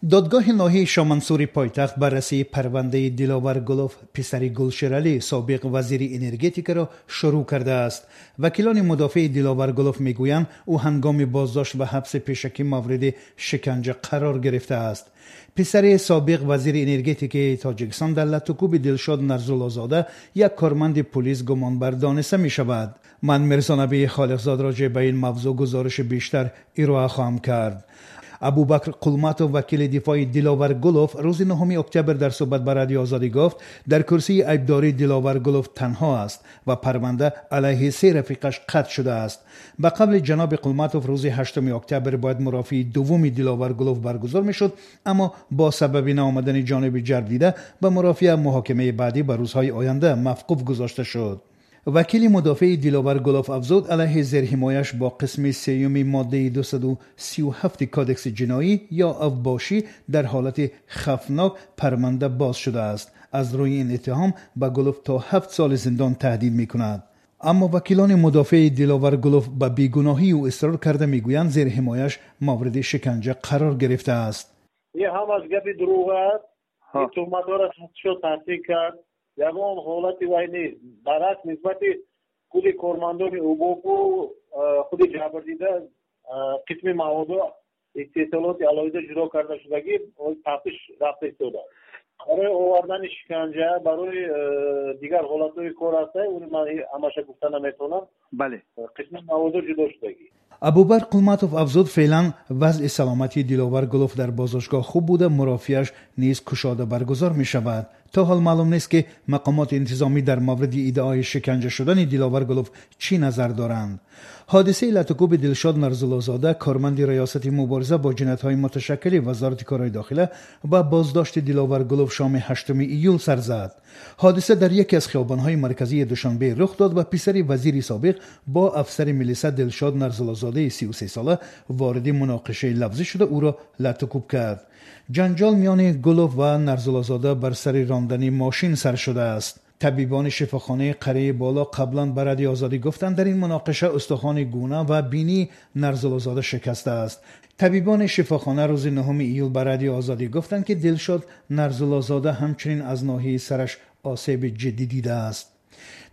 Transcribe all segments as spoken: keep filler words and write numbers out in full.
Додгоҳи ноҳияи Шомансури пойтахт баррасии парвандаи Диловар Гулов, писари Гулшералӣ, собиқ вазири энергетикаро шурӯъ кардааст. Вакилони мудофеи Диловар Гулов мегӯянд, ӯ ҳангоми боздошт ва ҳабси пешакӣ мавриди шиканҷа қарор гирифтааст. Писари собиқ вазири энергетикаи Тоҷикистон дар латукӯби Дилшод Нарзуллозода, як корманди пулис, гумонбар дониста мешавад. Ман Мирзонабии Холиқзод роҷеъ ба ин мавзӯъ гузориши бештар ироа хоҳам кард. Абубакр Қулматов, вакили дифои Диловар Гулов, рӯзи нӯҳуми октябр дар суҳбат ба Радиои Озодӣ гуфт, дар курсии айбдорӣ Диловар Гулов танҳо аст ва парванда алайҳи се рафиқаш қатъ шудааст. Ба қавли ҷаноби Қулматов, рӯзи ҳаштуми октябр бояд мурофиаи дуввуми Диловар Гулов баргузор мешуд, аммо бо сабаби наомадани ҷониби ҷалб дида ба мурофиа, муҳокимаи баъдӣ ба рӯзҳои оянда мавқуф гузошта шуд. Вакили мудофеи Диловар Гулов афзуд, алайҳи зерҳимояш бо қисми сеюми моддаи дусаду сию ҳафти Кодекси ҷиноӣ ё авбошӣ дар ҳолати хавфнок парванда боз шудааст. Аз рӯи ин иттиҳом ба Гулов то ҳафт соли зиндон таҳдид мекунад. Аммо вакилони мудофеи Диловар Гулов ба бегуноҳии ӯ исрор карда, мегӯянд, зерҳимояш мавриди шиканҷа қарор гирифтааст. Ин ҳамаш гапи дурӯғ аст. Ин туҳматҳоро тасдиқ кард. Ягон ҳолати вай нест. Баръакс, нисбати худи кормандони УБОПу худи ҷабрдида қисми маводо истеҳсолоти алоҳида ҷудо карда шудагӣ, тафтиш рафта истодааст. Барои овардани шиканҷа, барои дигар ҳолатҳои кор ҳаста, уни ман ҳамаша гуфта наметавонам. Бале, қисми маводо ҷудо шудагӣ. Абубакр Қулматов афзуд, феълан вазъи саломатии Диловар Гулов дар боздоштгоҳ хуб буда, мурофиааш низ кушода баргузор мешавад. То ҳол маълум нест, ки мақомоти интизомӣ дар мавриди иддаои шиканҷа шудани Диловар Гулов чӣ назар доранд. Ҳодисаи латукӯби Дилшод Нарзуллозода, корманди Раёсати мубориза бо ҷиноятҳои муташаккили Вазорати корҳои дохила, ва боздошти Диловар Гулов шоми ҳаштуми июл сар зад. Ҳодиса дар яке аз хиёбонҳои марказии Душанбе рух дод ва писари вазири собиқ бо афсари милиса Дилшод Нарзуллозодаи сию се сола вориди муноқишаи лафзӣ шуда, ӯро латукӯб кард. Ҷанҷол миёни Гулов ва Нарзуллозода бар сари рондани мошин сар шудааст. Табибони шифохонаи Қарияи Боло қаблан ба Радиои Озодӣ гуфтанд, дар ин муноқиша устухони гуна ва бинии Нарзуллозода шикастааст. Табибони шифохона рӯзи нӯҳуми июл ба Радиои Озодӣ гуфтанд, ки Дилшод Нарзуллозода ҳамчунин аз ноҳияи сараш осеби ҷиддӣ дидааст.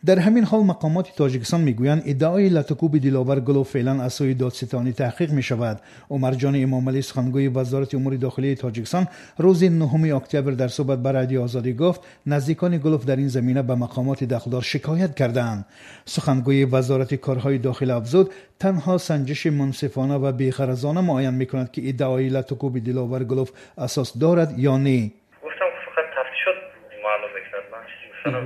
Дар ҳамин ҳол мақомоти Тоҷикистон мегӯянд, иддаои латукӯби Диловар Гулов феълан аз сӯи додситонӣ таҳқиқ мешавад. Умарҷони Эмомалӣ, сухангӯи Вазорати умури дохилии Тоҷикистон, рӯзи нӯҳуми октябр дар суҳбат ба Радиои Озодӣ гуфт, наздикони Гулов дар ин замина ба мақомоти дахлдор шикоят кардаанд. Сухангӯи Вазорати корҳои дохила афзуд, танҳо санҷиши мунсифона ва беғаразона муайян мекунад, ки иддаои латукӯби Диловар Гулов асос дорад ё не. Гуфтам, фақат тафтишот маълум мекунад. Ман чизе гуфтанам,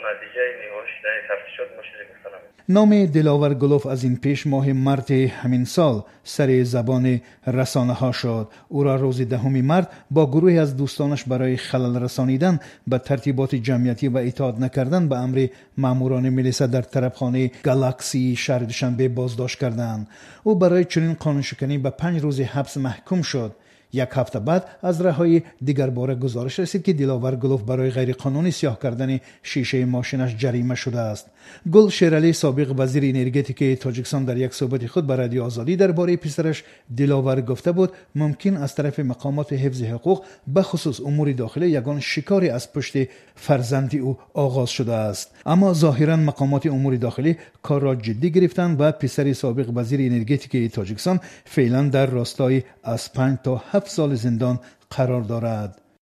натиҷаи ниҳоӣ шудани тафтишот мо чизе гуфтанам. Номи Диловар Гулов аз ин пеш моҳи марти ҳамин сол сари забони расонаҳо шуд. Ӯро рӯзи даҳуми март бо гурӯҳе аз дӯстонаш барои халал расонидан ба тартиботи ҷамъиятӣ ва итоат накардан ба амри маъмурони милиса дар тарабхонаи Галаксии шаҳри Душанбе боздошт карданд. Ӯ барои чунин қонуншиканӣ ба панҷ рӯзи ҳабс маҳкум шуд. Як ҳафта баъд аз раҳоӣ дигарбора гузориш расид, ки Диловар Гулов барои ғайриқонунӣ сиёҳ кардани шишаи мошинаш ҷарима шудааст. Гул Шералӣ, собиқ вазири энергетикаи Тоҷикистон, дар як суҳбати худ ба Радиои Озодӣ дар бораи писараш Диловар гуфта буд, мумкин аз тарафи мақомоти ҳифзи ҳуқуқ, бахусус умури дохилӣ, ягон шикоре аз пушти фарзанди ӯ оғоз шудааст. Аммо зоҳиран мақомоти умури дохилӣ корро ҷиддӣ гирифтанд ва писари собиқ вазири энергетикаи Тоҷикистон феълан дар ростои аз панҷ то ҳафт соли зиндон қарор дорад.